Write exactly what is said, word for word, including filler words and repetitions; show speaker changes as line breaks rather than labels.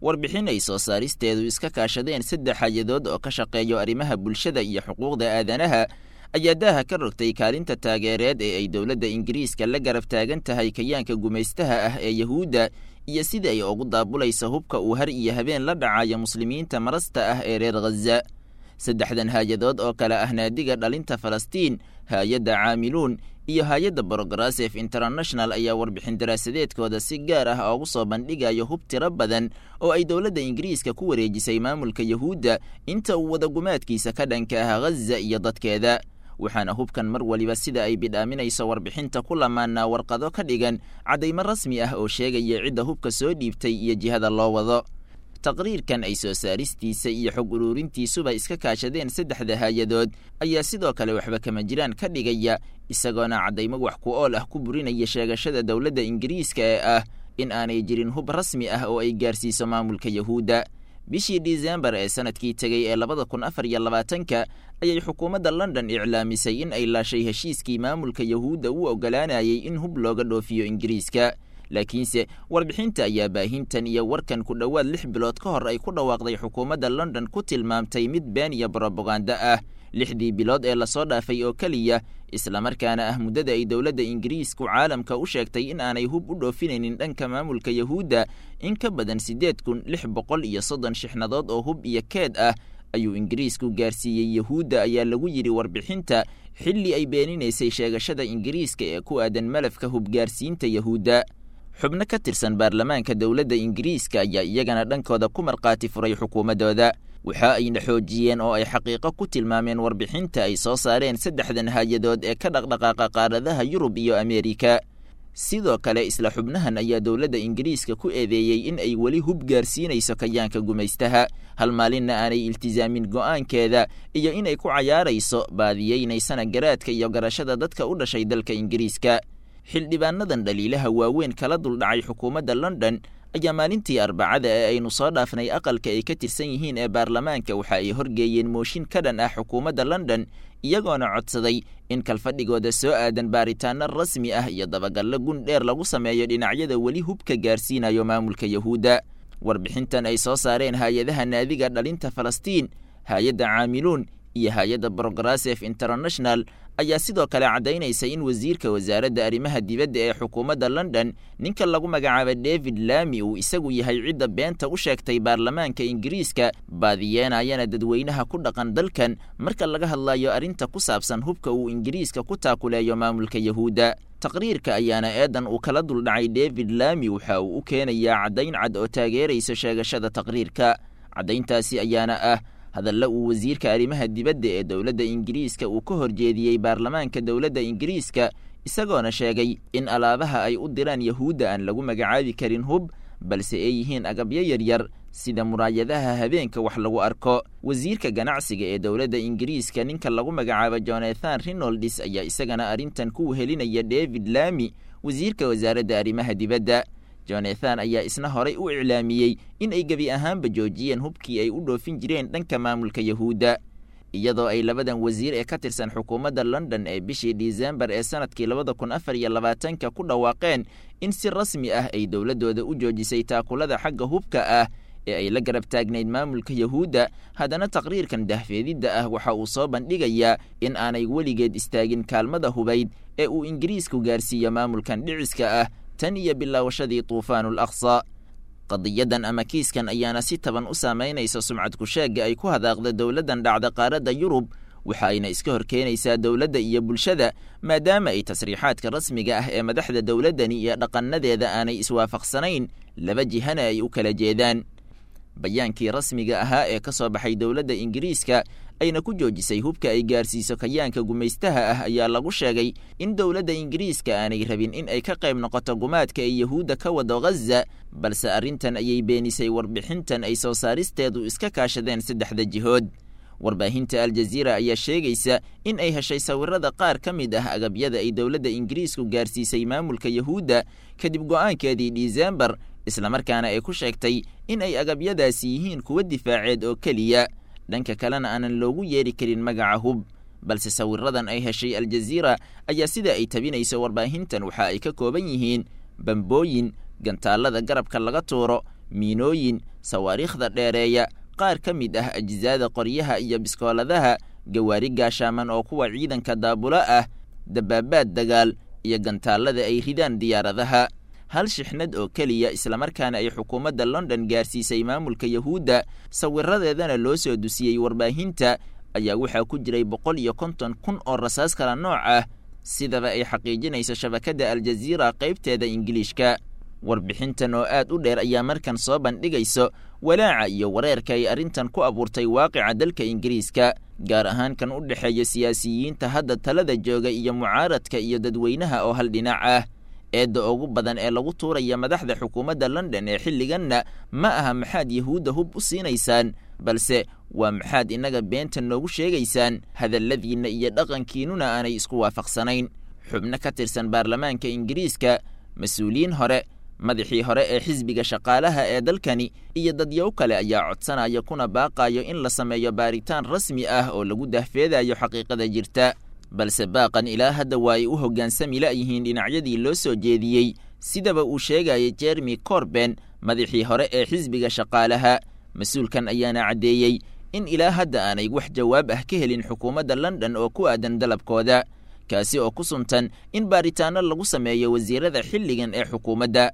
Warbixin ay soo saaristeedu iska kaashadeen saddex hay-adood oo ka shaqeeyo arrimaha bulshada iyo xuquuqda aadanaha ayaa daaha ka rogtay kaalinta taageereed ee ay dowladda Ingiriiska la garab taagan tahay kayaanka gumaystaha ah ee Yahuudda iyo sida ay ugu daabulayso hubka uu har iyo habeen la dhacayo muslimiinta marasta ah ee reer Ghaza. Saddexdan hay-adood oo kale ah Naadiga Dhalinta Falastiin, Hay-adda Caamiluun iyo Hay-adda Progressive International ayaa warbixin daraasadeedkooda si gaar ah ugu soo bandhigayo hub tiro badan oo ay dowladda Ingiriiska ku wareejisay maamulka Yahuudda inta uu wadagumaadkiisa ka dhanka ah Ghaza iyo dadkeeda. Waxaana hubkan mar waliba sida ay bidhaaminayso warbixinta ku lamaanaa warqado ka dhigan caddaymo rasmi ah oo sheegaya cidda hubka soo dhiibtay iyo jihada loo wado. Taqriirkan ay soo saaristiisa iyo xog ururintiisuba iska kaashadeen saddexda hay-adood ayaa sidoo kale waxba kama jiraan ka dhigaya, isagoona caddaymo wax ku ool ah ku burinaya sheegashada dowladda Ingiriiska ee ah in aanay jirin hub rasmi ah oo ay gaarsiiso maamulka Yahuudda. Bishii Disembar ee sanadkii tegey ee labada kun afar iyo labaatanka ayay xukuumadda London iclaamisay in ay laashay heshiiskii maamulka Yahuudda u oggolaanayay in hub looga dhoofiyo Ingiriiska. Laakiinse warbixinta ayaa baahintan iyo warkan ku dhowaad lix bilood ka hor ay ku dhawaaqday xukuumadda London ku tilmaamtay mid been iyo brobaganda ah. Lixdii bilood ee lasoo dhaafay oo keliya, islamarkaana ah muddada ay dowladda Ingiriisku caalamka u sheegtay in aanay hub u dhoofinaynin dhanka maamulka Yahuudda, in ka badan siddeed kun lix boqol iyo soddon shixnadood oo hub iyo keed ah ayuu Ingiriisku gaarsiiyey Yahuudda, ayaa lagu yidhi warbixinta, xilli ay beeninaysay sheegashada Ingiriiska ee ku aadan malafka hubgaarsiinta Yahuudda. Xubno ka tirsan baarlamaanka dowladda Ingiriiska ayaa iyagana dhankooda ku markhaati furay xukuumaddooda. Waxa ayna xoojiyeen oo ay xaqiiqo ku tilmaameen warbixinta ay soo saareen saddexdan hay-adood ee ka dhaqdhaqaaqa qaaradaha Yurub iyo Ameerika. Sidoo kale isla xubnahan ayaa dowladda Ingiriiska ku eedeeyey in ay weli hub gaarsiinayso kayaanka gumaystaha, hal maalinna aanay iltisaamin go'aankeeda iyo inay ku cayaarayso baadiyeynaysana garaadka iyo garashada dadka u dhashay dalka Ingiriiska. Xildhibaanadan dhaliilaha waaweyn kala duldhacay xukuumadda London ayaa maalintii Arbacada ee aynu soo dhaafnay aqalka ay ka tirsan yihiin ee baarlamaanka waxa ay horgeeyeen mooshin ka dhan ah xukuumadda London, iyagoona codsaday in kalfadhigooda soo aadan baaritaano rasmi ah iyo dabagallo gun dheer lagu sameeyo dhinacyada weli hubka gaarsiinayo maamulka Yahuudda. Warbixintan ay soo saareen hay-adaha Naadiga Dhalinta Falastiin, Hay-adda Caamiluun iyo Hay-adda Progressive International ayaa sidoo kale caddaynaysa in wasiirka wasaaradda arrimaha dibadda ee xukuumadda London, ninka lagu magacaabo David Lamy, uu isagu yahay cidda beenta u sheegtay baarlamaanka Ingiriiska, baadiyeenayana dadweynaha ku dhaqan dalkan marka laga hadlayo arrinta ku saabsan hubka uu Ingiriiska ku taakuleeyo maamulka Yahuudda. Taqriirka ayaana eedan uu kala duldhacay David Lamy waxa uu u keenayaa caddayn cad oo taageeraysa sheegashada taqriirka. Caddayntaasi ayaana ah hadalla uu wasiirka arrimaha dibadda ee dowladda Ingiriiska uu ka horjeediyey baarlamaanka dowladda Ingiriiska, isagoona sheegay in alaabaha ay u diraan Yahuudda aan lagu magacaabi karin hub, balse ay yihiin agabyo yaryar sida muraayadaha habeenka wax lagu arko. Wasiirka ganacsiga ee dowladda Ingiriiska, ninka lagu magacaabo Jonathan Reynolds, ayaa isagana arrintan ku wehelinaya David Lamy, wasiirka wasaaradda arrimaha dibadda. Jonathan ayaa isna horay u iclaamiyey in ay gebi ahaanba joojiyeen hubkii ay u dhoofin jireen dhanka maamulka Yahuudda, iyadoo ay labadan wasiir ee ka tirsan xukuumadda London ee bishii Disembar ee sanadkii labada kun afar iyo labaatanka ku dhawaaqeen in si rasmi ah ay dowladdooda u joojisay taakulada xagga hubka ah ee ay la garab taagnayd maamulka Yahuudda. Haddana taqriirkan dahfeedidda ah waxa uu soo bandhigayaa in aanay weligeed istaagin kaalmada hubayd ee uu Ingiriisku gaarsiiyo maamulkan dhiciska ah tan iyo bilaawashadii Tuufaanul Aqsa. Qadiyadan ama kiiskan ayaana si taban u saamaynaysa sumcad kusheegga ay ku hadaaqda dowladdan dhacda qaaradda Yurub, waxa ayna iska hor keenaysaa dowladda iyo bulshada, maadaama ay tasriixaadka rasmiga ah ee madaxda dowladdani iyo dhaqannadeeda aanay iswaafaqsanayn, laba jihana ay u kala jeedaan. Bayaankii rasmiga ahaa ee ka soo baxay dowladda Ingiriiska ayna ku joojisay hubka ay gaarsiiso kayaanka gumaystaha ah ayaa lagu sheegay in dowladda Ingiriiska aanay rabin in ay ka qayb noqoto gumaadka ay Yahuudda ka wado Ghaza, balse arrintan ayay beenisay warbixintan ay soo saaristeedu iska kaashadeen saddexda jihood. Warbaahinta Aljaziira ayaa sheegaysa in ay heshay sawirada qaar ka mid ah agabyada ay dowladda Ingiriisku gaarsiisay maamulka Yahuudda kadib go'aankeedii Disembar, islamarkaana ay ku sheegtay in ay agabyadaasi yihiin kuwa difaaceed oo keliya, dhanka kalena aanan loogu yeeri karin magaca hub. Balse sawiradan ay heshay Aljaziira ayaa sida ay tabinayso warbaahintan waxa ay ka kooban yihiin bambooyin, gantaalada garabka laga tuuro, miinooyin, sawaariikhda dheereeya, qaar ka mid ah ajsaada qoryaha iyo biskooladaha, gawaari gaashaaman oo kuwa ciidanka daabulo ah, dabaabaad dagaal iyo gantaallada ay ridaan diyaaradaha. Hal shixnad oo keliya islamarkaana ay xukuumadda London gaarsiisay maamulka Yahuudda, sawiradeedana loo soo dusiyey warbaahinta, ayaa waxaa ku jiray boqol iyo konton kun oo rasaas kala nooc ah, sidaba ay xaqiijinayso shabakadda Aljaziira qaybteeda Ingiliishka. Warbixintan oo aad u dheer ayaa markan soo bandhigayso walaaca iyo wareerka ay arrintan ku abuurtay waaqica dalka Ingiriiska, gaar ahaan kan u dhexeeya siyaasiyiinta hadda talada jooga iyo mucaaradka iyo dadweynaha oo hal dhinac ah. Eedda ugu badan ee lagu tuuraya madaxda xukuumadda London ee xilliganna ma aha maxaad Yahuudda hub u siinaysaan, balse waa maxaad innaga beenta noogu sheegaysaan, hadalladiinna iyo dhaqankiinnuna aanay isku waafaqsanayn. Xubno ka tirsan baarlamaanka Ingiriiska, mas-uuliyiin hore, madaxii hore ee xisbiga shaqaalaha ee dalkani iyo dadyow kale ayaa codsanaya kuna baaqayo in la sameeyo baaritaan rasmi ah oo lagu dahfeedayo xaqiiqada jirta. Balse baaqan ilaa hadda waa ay u hoggaansami la'yihiin dhinacyadii loo soo jeediyey, sidaba uu sheegayay Jeremy Corben, madaxii hore ee xisbiga shaqaalaha. Mas-uulkan ayaana caddeeyey in ilaa hadda aanay wax jawaab ah ka helin xukuumadda London oo ku aadan dalabkooda, kaasi oo ku suntan in baaritaanno lagu sameeyo wasiirada xilligan ee xukuumadda.